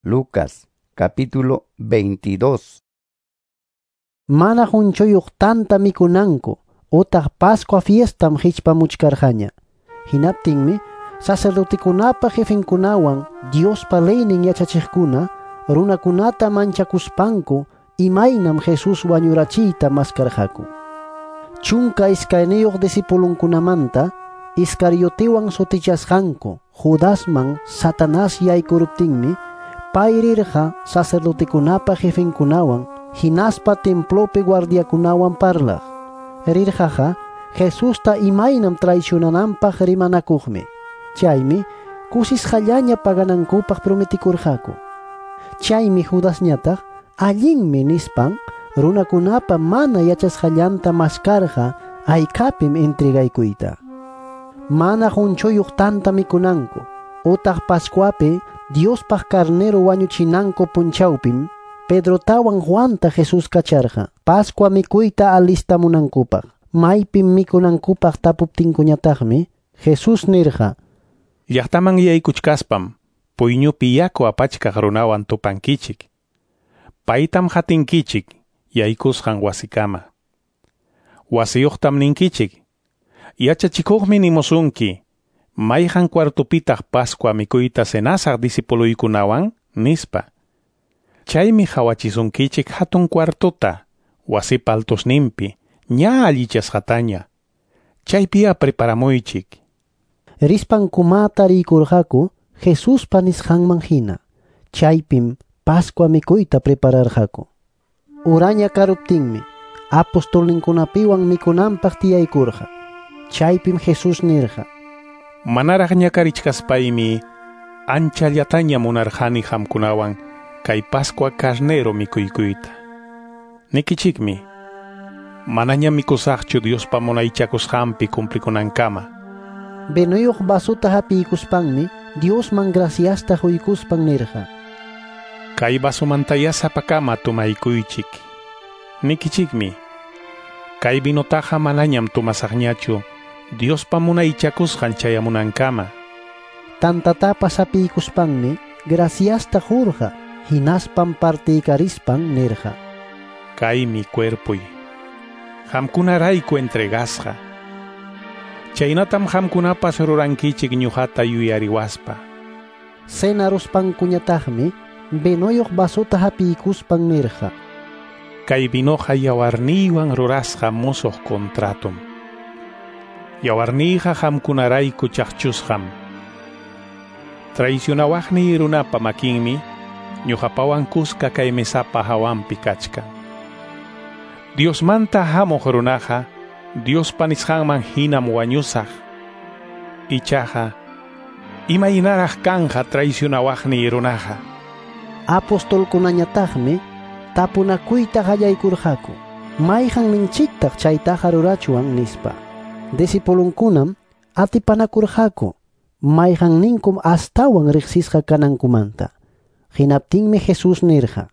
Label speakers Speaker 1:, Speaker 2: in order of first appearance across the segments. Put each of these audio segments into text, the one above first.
Speaker 1: Lucas capítulo 22.
Speaker 2: Mana qunchuyuq tanta mikunanku utaq Pascua fiestam hichpamuchkarqaña. Hinaptinmi sacerdotekunapa jefenkunawan Diospa leynin yachachiqkuna runakunata manchakuspanku imaynam Jesús wañurachiyta maskarqaku. 12 discipulunkunamanta Iscariotewan sutichasqanku Judasman Satanás yaykuruptinmi pay rirqa sacerdotekunapa jefenkunawan hinaspa templopi guardiakunawan parlaq. Rirqaqa Jesusta imaynam traicionananpaq rimanakuqmi. Chaymi kusisqallaña paganankupaq prometikurqaku. Chaymi Judasñataq allinmi nispan runakunapa mana yachasqallanta maskarqa haykapim entregaykuyta. Mana qunchuyuq tanta mikunanku utaq Pascuapi Diospaq carnero wañuchinanku punchawpim Pedrotawan Juanta Jesús kacharqa Pascua mikuyta alistamunankupaq. Maypim mikunankupaq tapuptinkuñataqmi Jesús nirqa:
Speaker 3: Llaqtaman yaykuchkaspam puyñupi yaku apachkaq runawan tupankichik. Paytam hatinkichik yaykusqan wasikama. Wasiyuqtam ninkichik: Yachachikuqmi nimusunki, mayqan cuartupitaq Pascua mikuyta cenasaq discipuluykunawan, nispa. Chaymi hawachisunkichik hatun cuartuta, wasipa altusninpi, ña allichasqataña. Chaypiya preparamuychik.
Speaker 2: Rispankuma tariykurqaku Jesuspa nisqanman hina. Chaypim Pascua mikuyta prepararqaku. Uraña karuptinmi apostolninkunapiwan mikunanpaq tiyaykurqa. Chaypim Jesús nirqa:
Speaker 3: Manaraq ñakarichkaspaymi anchallataña munarqani qamkunawan kay Pascua carnero mikuykuyta. Nikichikmi, manaña mikusaqchu Diospa munaychakusqanpi cumplikunankama.
Speaker 2: Vinuyuq vasuta hapiykuspanmi Diosman graciasta quykuspan nirqa:
Speaker 3: Kay vasumantaya sapakama tumaykuychik. Nikichikmi, kay vinotaqa manañam tumasaqñachu Diospa munaychakusqan chayamunankama.
Speaker 2: Tantatapas hapiykuspanmi graciasta qurqa, hinaspam partiykarispan nirqa:
Speaker 3: Kaymi cuerpoy, qamkunarayku entregasqa. Chaynatam qamkunapas rurankichik ñuqata yuyariwaspa.
Speaker 2: Cenaruspankuñataqmi vinuyuq vasuta hapiykuspan nirqa:
Speaker 3: Kay vinoqa yawarniywan rurasqa musuq contratum. Yawarniyqa qamkunarayku chaqchusqam. Traicionawaqniy runapa makinmi ñuqapawan kuska kay mesapa hawanpi kachkan. Diosmanta hamuq runaqa Diospa nisqanman hinam wañusaq. Ichaqa imaynaraq kanja traicionawaqniy runaqa.
Speaker 2: Apostolkunañataqmi tapunakuyta qallaykurqaku: Mayqanninchiktaq chaytaqa rurachwan, nispa. Discipulunkunam atipanakurqaku mayqanninkum astawan riqsisqa kanankumanta. Hinaptinmi Jesús nirqa: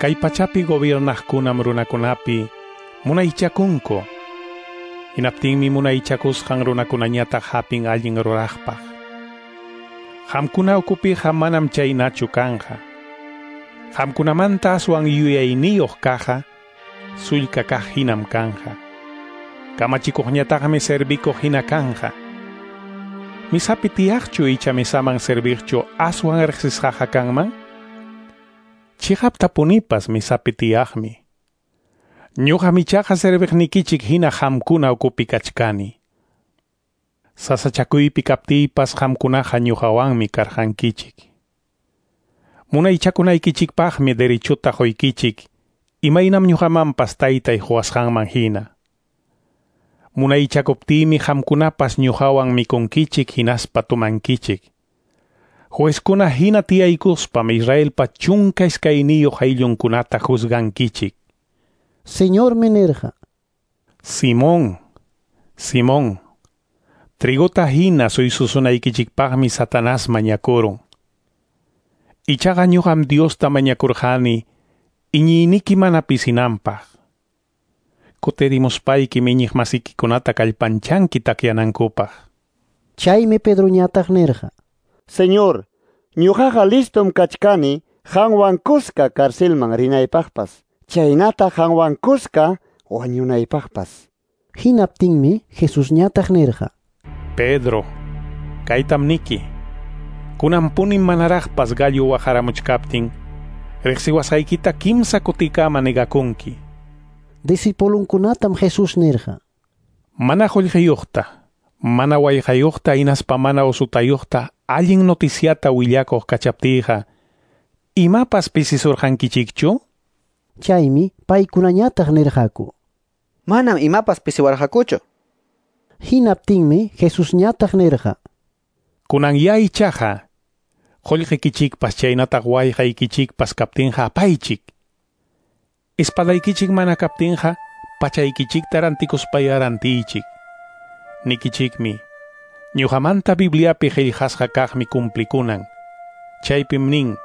Speaker 3: Kay pachapi gobiernaqkunam runakunapi munaychakunku. Hinaptinmi munaychakusqan runakunañataq hapin allin ruraqpaq. Qamkuna ukupiqa manam chaynachu kanja. Qamkunamanta aswan yuyayniyuq kaqqa sullka kaq hinam kanja. Kamachikuqñataqmi servikuq hina kanja. Misapi tiyaqchu icha misaman serviqchu aswan riqsisqaqa kanman? Chiqaptapunipas misapi tiyaqmi. Ñuqam ichaqa serviqnikichik hina qamkuna ukupi kachkani. Sasachakuypi kaptiypas qamkunaqa ñuqawanmi karqankichik. Munaychakunaykichikpaqmi derechuta quykichik, imaynam ñuqamanpas taytay quwasqanman hina. Munaychakuptiymi qamkunapas ñuqawan mikunkichik hinaspa tumankichik. Juezkuna hina tiyaykuspam Israelpa 12 ayllunkunata juzgankichik.
Speaker 2: Señormi nirqa:
Speaker 3: Simón, Simón, trigota hina suysusunaykichikpaqmi Satanás mañakurun. Ichaqa ñuqam Diosta mañakurqani iñiyniki mana pisinanpaq. Kutirimuspayki iñiqmasikikunata kallpanchanki takyanankupaq.
Speaker 2: Chaymi Pedroñataq nirqa:
Speaker 4: Señor, Ñuqaqa listom kachkani qanwan kuska carcelman rinaypaqpas, chaynata qanwan kuska wañunaypaqpas.
Speaker 2: Hinaptinmi Jesusñataq nirqa:
Speaker 3: Pedro, kaytam niki. Kunanpunim manaraqpas gallo waqaramuchkaptin, riqsiwasqaykita kimsa kutikama negakunki.
Speaker 2: Discipulunkunatam Jesús nirqa:
Speaker 3: Mana qullqiyuqta, mana wayqayuqta hinaspa mana usutayuqta allin noticiata willakuq kachaptiyqa, imapas pisisurqankichikchu?
Speaker 2: Chaymi paykunañataq nirqaku:
Speaker 5: Manam imapas pisiwarqakuchu.
Speaker 2: Hinaptinmi Jesusñataq nirqa:
Speaker 3: Kunan ya ichaqa, qullqikichikpas chaynataq wayqaykichikpas kaptinqa apaychik. Espadaykichik mana kaptinqa pachaykichikta rantikuspaya rantiychik. Nikichikmi, ñuqamanta Bibliapi qillqasqa kaqmi cumplikunan. Chaypim nin,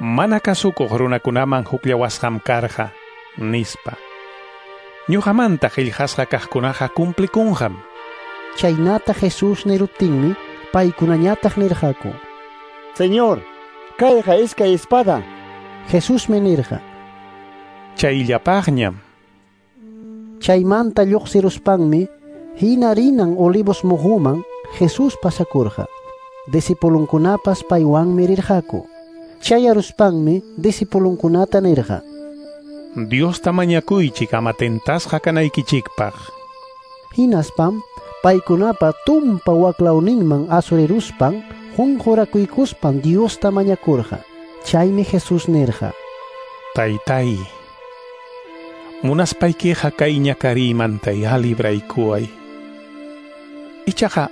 Speaker 3: mana kasukuq runakunaman hukllawasqam karqa, nispa. Ñuqamanta qillqasqa kaqkunaqa cumplikunqam.
Speaker 2: Chaynata Jesús niruptinmi paykunañataq nirqaku:
Speaker 4: Señor, kayqa iskay espada.
Speaker 2: Jesusmi nirqa:
Speaker 3: Chayllapaqñam.
Speaker 2: Chaymanta lluqsiruspanmi hina rinan Olivos muhuman Jesús pasakurqa. Discipulunkunapas paywanmi rirqaku. Chayaruspanmi discipulunkunata nirqa:
Speaker 3: Diosta mañakuychik ama tentasqa kanaykichikpaq.
Speaker 2: Hinaspam paykunapa tumpa waklawninman asuriruspan qunqurakuykuspan Diosta mañakurqa. Chaymi Jesús nirqa:
Speaker 3: Taytay, munaspaykiqa kay ñakariymanta ya libraykuway. Ichaqa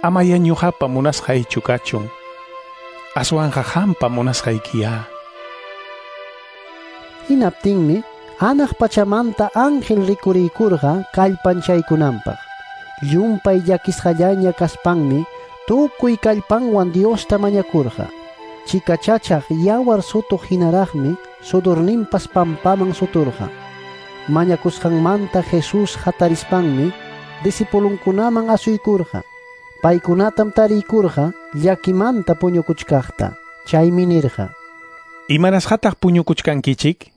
Speaker 3: amaya ñuqapa munasqaychu kachun, aswanqa qampa munasqaykiya.
Speaker 2: Hinaptinmi hanaq pachamanta ángel rikuriykurqa kallpanchaykunanpaq. Llumpay llakisqallaña kaspanmi tukuy kallpanwan Diosta mañakurqa. Chikachachaq yawar sutuq hinaraqmi sudurninpas pampaman suturqa. Mañakusqanmanta Jesús hatarispanmi discipulunkunaman asuykurqa. Paykunatam tariykurqa llakimanta puñukuchkaqta. Chaymi nirqa:
Speaker 3: Imanasqataq puñukuchkankichik?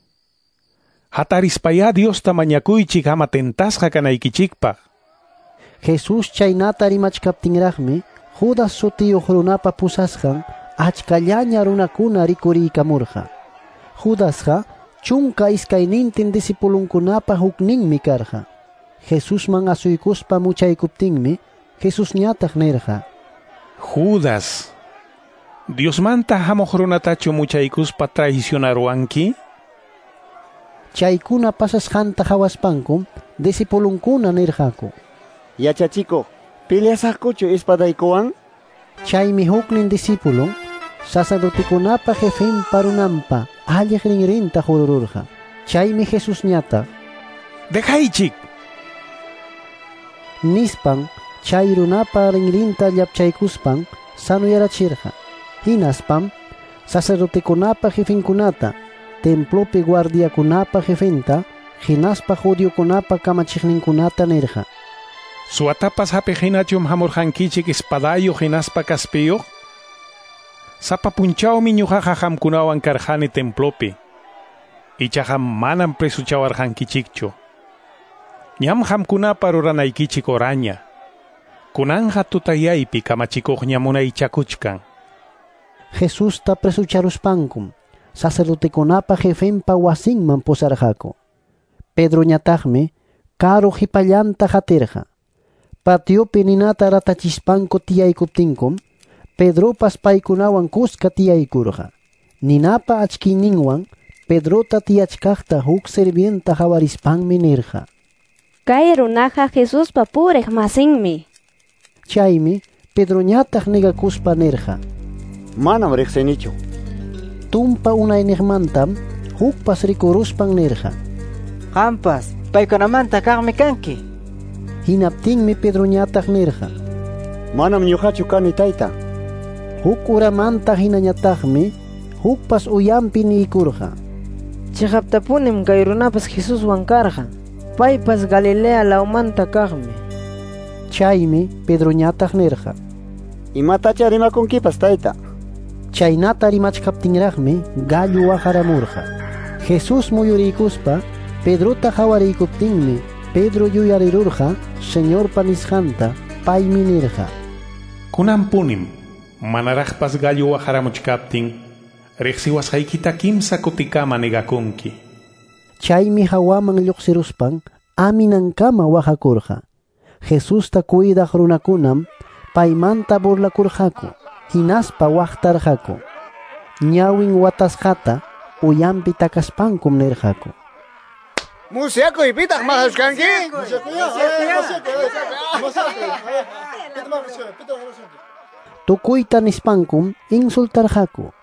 Speaker 3: Hatarispaya Diosta mañakuychik ama tentasqa kanaykichikpaq.
Speaker 2: Jesús chaynata rimachkaptinraqmi Judas sutiyuq runapa pusasqan achkallaña runakuna rikuriykamurqa. Judasqa 12 discipulunkunapa hukninmi karqa. Jesusman asuykuspa muchaykuptinmi Jesusñataq nirqa:
Speaker 3: Judas, Diosmanta hamuq runatachu muchaykuspa traicionaruwanki?
Speaker 2: Chaykuna pasasqanta hawaspankum discipulunkuna nirqaku:
Speaker 4: Yachachikuq, peleasaqkuchu espadaykuwan?
Speaker 2: Chaymi huknin discipulun sacerdotekunapa jefenpa runanpa alliq rinrinta qurururqa. Chaymi Jesusñataq:
Speaker 3: Dejaychik,
Speaker 2: nispan chay runapa rinrinta llapchaykuspan sanuyarachirqa. Hinaspam sacerdotekunapa jefenkunata, templopi guardiakunapa jefenta, hinaspa judiokunapa kamachiqninkunata nirqa:
Speaker 3: Suwatapas hapiq hinachum hamurqankichik espadayuq hinaspa kaspiyuq? Sapa punchawmi ñuqaqa qamkunawan karqani templopi. Ichaqa manam presuchawarqankichikchu. Ñam qamkunapa ruranaykichik oraña. Kunanja tutayaypi kamachikuqña munaychakuchkan.
Speaker 2: Jesusta presucharuspankum sacerdotekunapa jefenpa wasinman pusarqaku. Pedroñataqmi karu qhipallanta qatirqa. Patiopi ninata ratachispanku tiyaykuptinkum Pedropas paykunawan kuska tiyaykurqa. Ninapa achkiyninwan Pedrota tiyachkaqta huk sirvienta hawarispanmi nirqa:
Speaker 6: Kay runaqa Jesuspa puriq masinmi.
Speaker 2: Chaymi Pedroñataq negakuspa nirqa:
Speaker 4: Manam riqsinichu.
Speaker 2: Tumpa unayniqmantam hukpas rikuruspan nirqa:
Speaker 7: Qampas paykunamanta kaqmi kanki.
Speaker 2: Hinaptinmi Pedroñataq nirqa:
Speaker 4: Manam ñuqachu kani, tayta.
Speaker 2: Huk uramanta hinañataqmi hukpas uyampi niykurqa:
Speaker 7: Chiqaptapunim kay runapas Jesuswan karqa. Paypas Galilea lawmanta kaqmi.
Speaker 2: Chaymi Pedroñataq nirqa:
Speaker 4: Imatacha rimakunkipas, tayta.
Speaker 2: Chaynata rimachkaptinraqmi gallo waqaramurqa. Jesús muyuriykuspa Pedrota qawariykuptinmi Pedro yuyarirurqa Señorpa nisqanta, paymi nirqa:
Speaker 3: Kunanpunim manaraqpas gallo waqaramuchkaptin riqsiwasqaykita kimsa kutikama negakunki.
Speaker 2: Chaymi hawaman lluqsiruspan aminankama waqakurqa. Jesusta cuidaq runakunam paymanta burlakurqaku, hinaspa waqtarqaku. Ñawin watasqata uyanpi takaspankum nirqaku:
Speaker 8: Musyakuy, pitaq maqasushkanki?
Speaker 2: Tukuyta nispankum insultarqaku.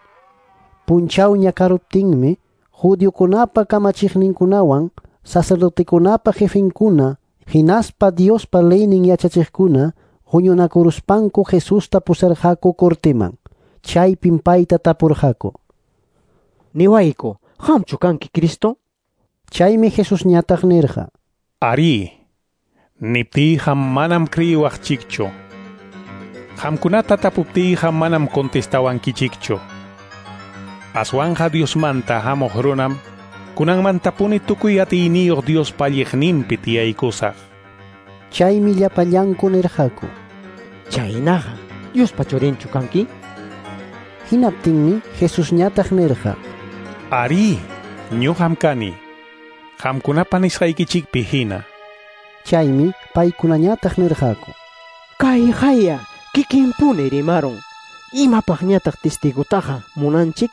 Speaker 2: Punchawña karuptinmi judiokunapa kamachiqninkunawan sacerdotekunapa jefenkuna hinaspa Diospa leynin yachachiqkuna huñunakuruspanku Jesusta pusarqaku corteman. Chaypim payta tapurqaku:
Speaker 7: Niwayku, qamchu kanki Cristo?
Speaker 2: Chaymi Jesusñataq nirqa:
Speaker 3: Arí, niptiyqa manam creyiwaqchikchu. Qamkunata tapuptiyqa manam contestawankichikchu. Aswanja Diosmanta hamuq runam kunanmantapuni tukuy atiyniyuq Diospa alliqninpi tiyaykusaq.
Speaker 2: Chaymi llapallanku nirqaku:
Speaker 7: Chaynaqa, Diospa churinchu kanki?
Speaker 2: Hinaptinmi Jesusñataq nirqa:
Speaker 3: Arí, ñuqam kani. Qamkunapa nisqaykichikpi hina.
Speaker 2: Chaymi paykunañataq nirqaku:
Speaker 7: Kayqaya kikinpuni rimarun. Imapaqñataq testigutaqa munanchik?